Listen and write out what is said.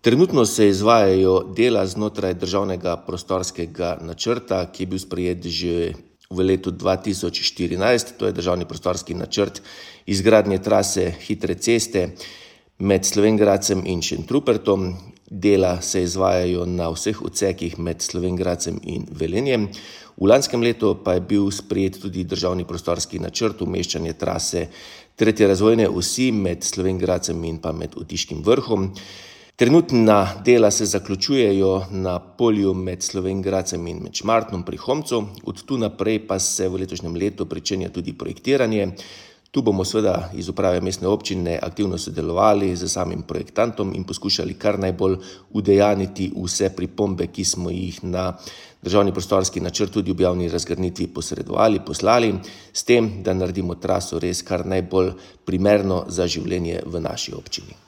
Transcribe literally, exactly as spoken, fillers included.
Trenutno se izvajajo dela znotraj državnega prostorskega načrta, ki je bil sprejet že v letu dva tisoč štirinajst, to je državni prostorski načrt izgradnje trase hitre ceste med Slovenj Gradcem in Šentrupertom. Dela se izvajajo na vseh odsekih med Slovenj Gradcem in Velenjem. V lanskem letu pa je bil sprejet tudi državni prostorski načrt umeščanje trase tretje razvojne osi med Slovenj Gradcem in pa med Otiškim Vrhom. Trenutna dela se zaključujejo na polju med Slovenj Gradcem in med Šmartnom pri Homcu. Od tu naprej pa se v letošnjem letu pričenja tudi projektiranje. Tu bomo seveda iz uprave mestne občine aktivno sodelovali z samim projektantom in poskušali kar najbolj udejaniti vse pripombe, ki smo jih na državni prostorski načrt tudi v javni razgrnitvi posredovali, poslali, s tem, da naredimo traso res kar najbolj primerno za življenje v naši občini.